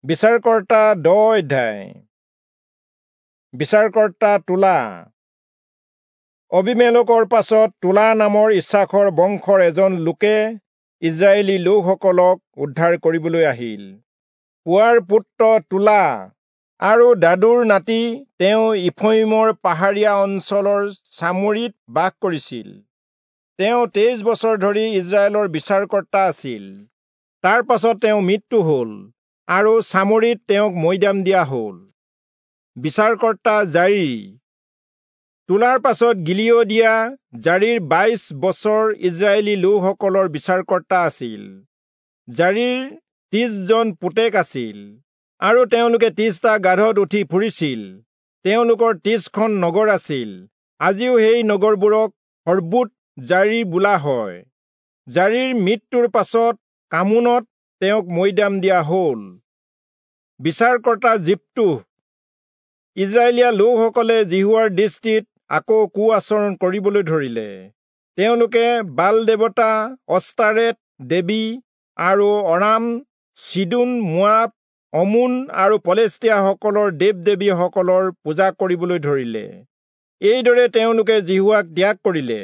বিচাৰকৰ্তা 10 অধ্যায়। বিচাৰকৰ্তা তোলা। অবিমেলকৰ পাছত তোলা নামৰ ইচ্ছাখৰ বংশৰ এজন লোকে ইজৰাইলী লোকসকলক উদ্ধাৰ কৰিবলৈ আহিল। পুৱাৰ পুত্ৰ তোলা আৰু দাদুৰ নাতি তেওঁ ইফ্ৰয়িমৰ পাহাৰীয়া অঞ্চলৰ চামৰিত বাস কৰিছিল। তেওঁ 23 বছৰ ধৰি ইজৰাইলৰ বিচাৰকৰ্তা আছিল। তাৰ পাছত তেওঁ মৃত্যু হ'ল আৰু চামৰিত তেওঁক মৈদাম দিয়া হ'ল। বিচাৰকৰ্তা জাৰী। তোলাৰ পাছত গিলিয়দীয়া জাৰীৰ 22 বছৰ ইজৰাইলী লোকসকলৰ বিচাৰকৰ্তা আছিল। জাৰীৰ 30 জন পুতেক আছিল আৰু তেওঁলোকে 30টা গাধত উঠি ফুৰিছিল। তেওঁলোকৰ 30খন নগৰ আছিল। আজিও সেই নগৰবোৰক হৰ্বোত জাৰী বোলা হয়। জাৰীৰ মৃত্যুৰ পাছত কামোনত তেওঁক মৈদাম দিয়া হ'ল। বিচাৰকৰ্তা জিপ্তুহ। ইজৰাইলীয়া লোকসকলে যিহোৱাৰ দৃষ্টিত আকৌ কু আচৰণ কৰিবলৈ ধৰিলে। তেওঁলোকে বাল দেৱতা, অস্তাৰেত দেৱী আৰু অৰাম, চিদোন, মোৱাব, অমোন আৰু পলেষ্টীয়াসকলৰ দেৱ দেৱীসকলৰ পূজা কৰিবলৈ ধৰিলে। এইদৰে তেওঁলোকে যিহোৱাক ত্যাগ কৰিলে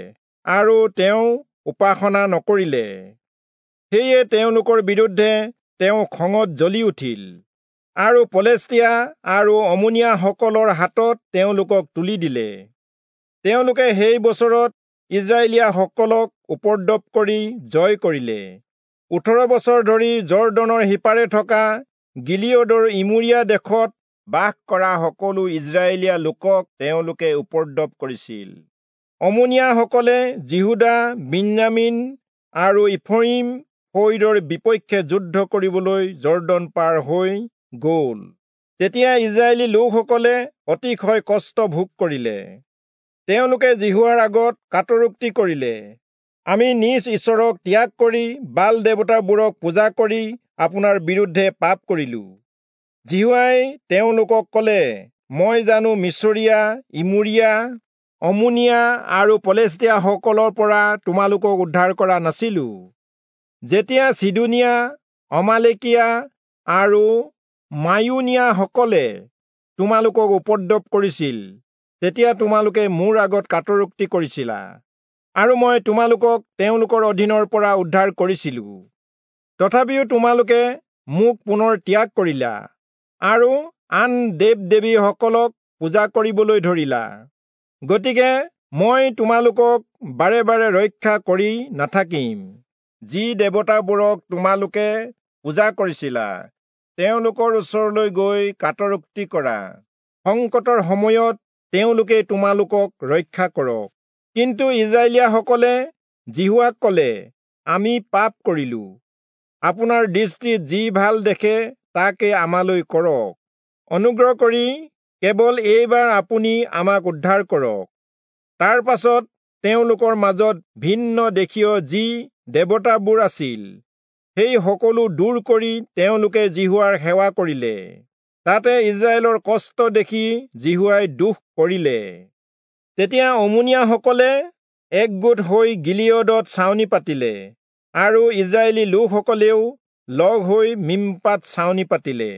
আৰু তেওঁ উপাসনা নকৰিলে। সেয়ে তেওঁলোকৰ বিৰুদ্ধে তেওঁ খঙত জ্বলি উঠিল আৰু পলেষ্টীয়া আৰু অমোনীয়াসকলৰ হাতত তেওঁলোকক তুলি দিলে। তেওঁলোকে সেই বছৰত ইজৰাইলীয়াসকলক উপদ্ৰৱ কৰি জয় কৰিলে। 18 বছৰ ধৰি জৰ্দনৰ সিপাৰে থকা গিলিয়দৰ ইমূৰীয়া দেশত বাস কৰা সকলো ইজৰাইলীয়া লোকক তেওঁলোকে উপদ্ৰৱ কৰিছিল। অমোনীয়াসকলে যিহূদা, বিন্যামীন আৰু ইফ্ৰয়িম ফৈদৰ বিপক্ষে যুদ্ধ কৰিবলৈ জৰ্দন পাৰ হৈ গ'ল। তেতিয়া ইজৰাইলী লোকসকলে অতিশয় কষ্ট ভোগ কৰিলে। তেওঁলোকে যিহোৱাৰ আগত কাতৰোক্তি কৰিলে, আমি নিজ ঈশ্বৰক ত্যাগ কৰি বাল দেৱতাবোৰক পূজা কৰি আপোনাৰ বিৰুদ্ধে পাপ কৰিলো। যিহোৱাই তেওঁলোকক ক'লে, মই জানো মিচৰীয়া, ইমূৰীয়া, অমোনীয়া আৰু পলেষ্টীয়াসকলৰ পৰা তোমালোকক উদ্ধাৰ কৰা নাছিলো? যেতিয়া চিদোনীয়া, অমালেকীয়া আৰু মায়ুনীয়াসকলে তোমালোকক উপদ্ৰৱ কৰিছিল, তেতিয়া তোমালোকে মোৰ আগত কাতৰোক্তি কৰিছিলা আৰু মই তোমালোকক তেওঁলোকৰ অধীনৰ পৰা উদ্ধাৰ কৰিছিলো। তথাপিও তোমালোকে মোক পুনৰ ত্যাগ কৰিলা আৰু আন দেৱ দেৱীসকলক পূজা কৰিবলৈ ধৰিলা। গতিকে মই তোমালোকক বাৰে বাৰে ৰক্ষা কৰি নাথাকিম। যি দেৱতাবোৰক তোমালোকে পূজা কৰিছিলা, তেওঁলোকৰ ওচৰলৈ গৈ কাতৰোক্তি কৰা। সংকটৰ সময়ত তেওঁলোকে তোমালোকক ৰক্ষা কৰক। কিন্তু ইজৰাইলীয়াসকলে যিহোৱাক ক'লে, আমি পাপ কৰিলো। আপোনাৰ দৃষ্টিত যি ভাল দেখে তাকে আমালৈ কৰক। অনুগ্ৰহ কৰি কেৱল এইবাৰ আপুনি আমাক উদ্ধাৰ কৰক। তাৰ পাছত তেওঁলোকৰ মাজত ভিন্ন দেশীয় যি দেৱতাবোৰ আছিল, সেই সকলো দূৰ কৰি তেওঁলোকে যিহোৱাৰ সেৱা কৰিলে। তাতে ইজৰাইলৰ কষ্ট দেখি যিহোৱাই দুখ কৰিলে। তেতিয়া অমোনীয়াসকলে একগোট হৈ গিলিয়দত ছাউনি পাতিলে আৰু ইজৰাইলী লোকসকলেও লগ হৈ মিম্পাত ছাউনি পাতিলে।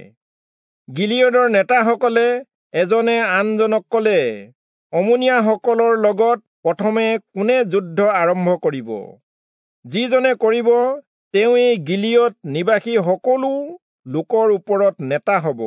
গিলিয়দৰ নেতাসকলে এজনে আনজনক ক'লে, অমোনীয়াসকলৰ লগত প্ৰথমে কোনে যুদ্ধ আৰম্ভ কৰিব? যিজনে কৰিব তেওঁৱেই গিলিয়দ নিবাসী সকলো লোকৰ ওপৰত নেতা হ'ব।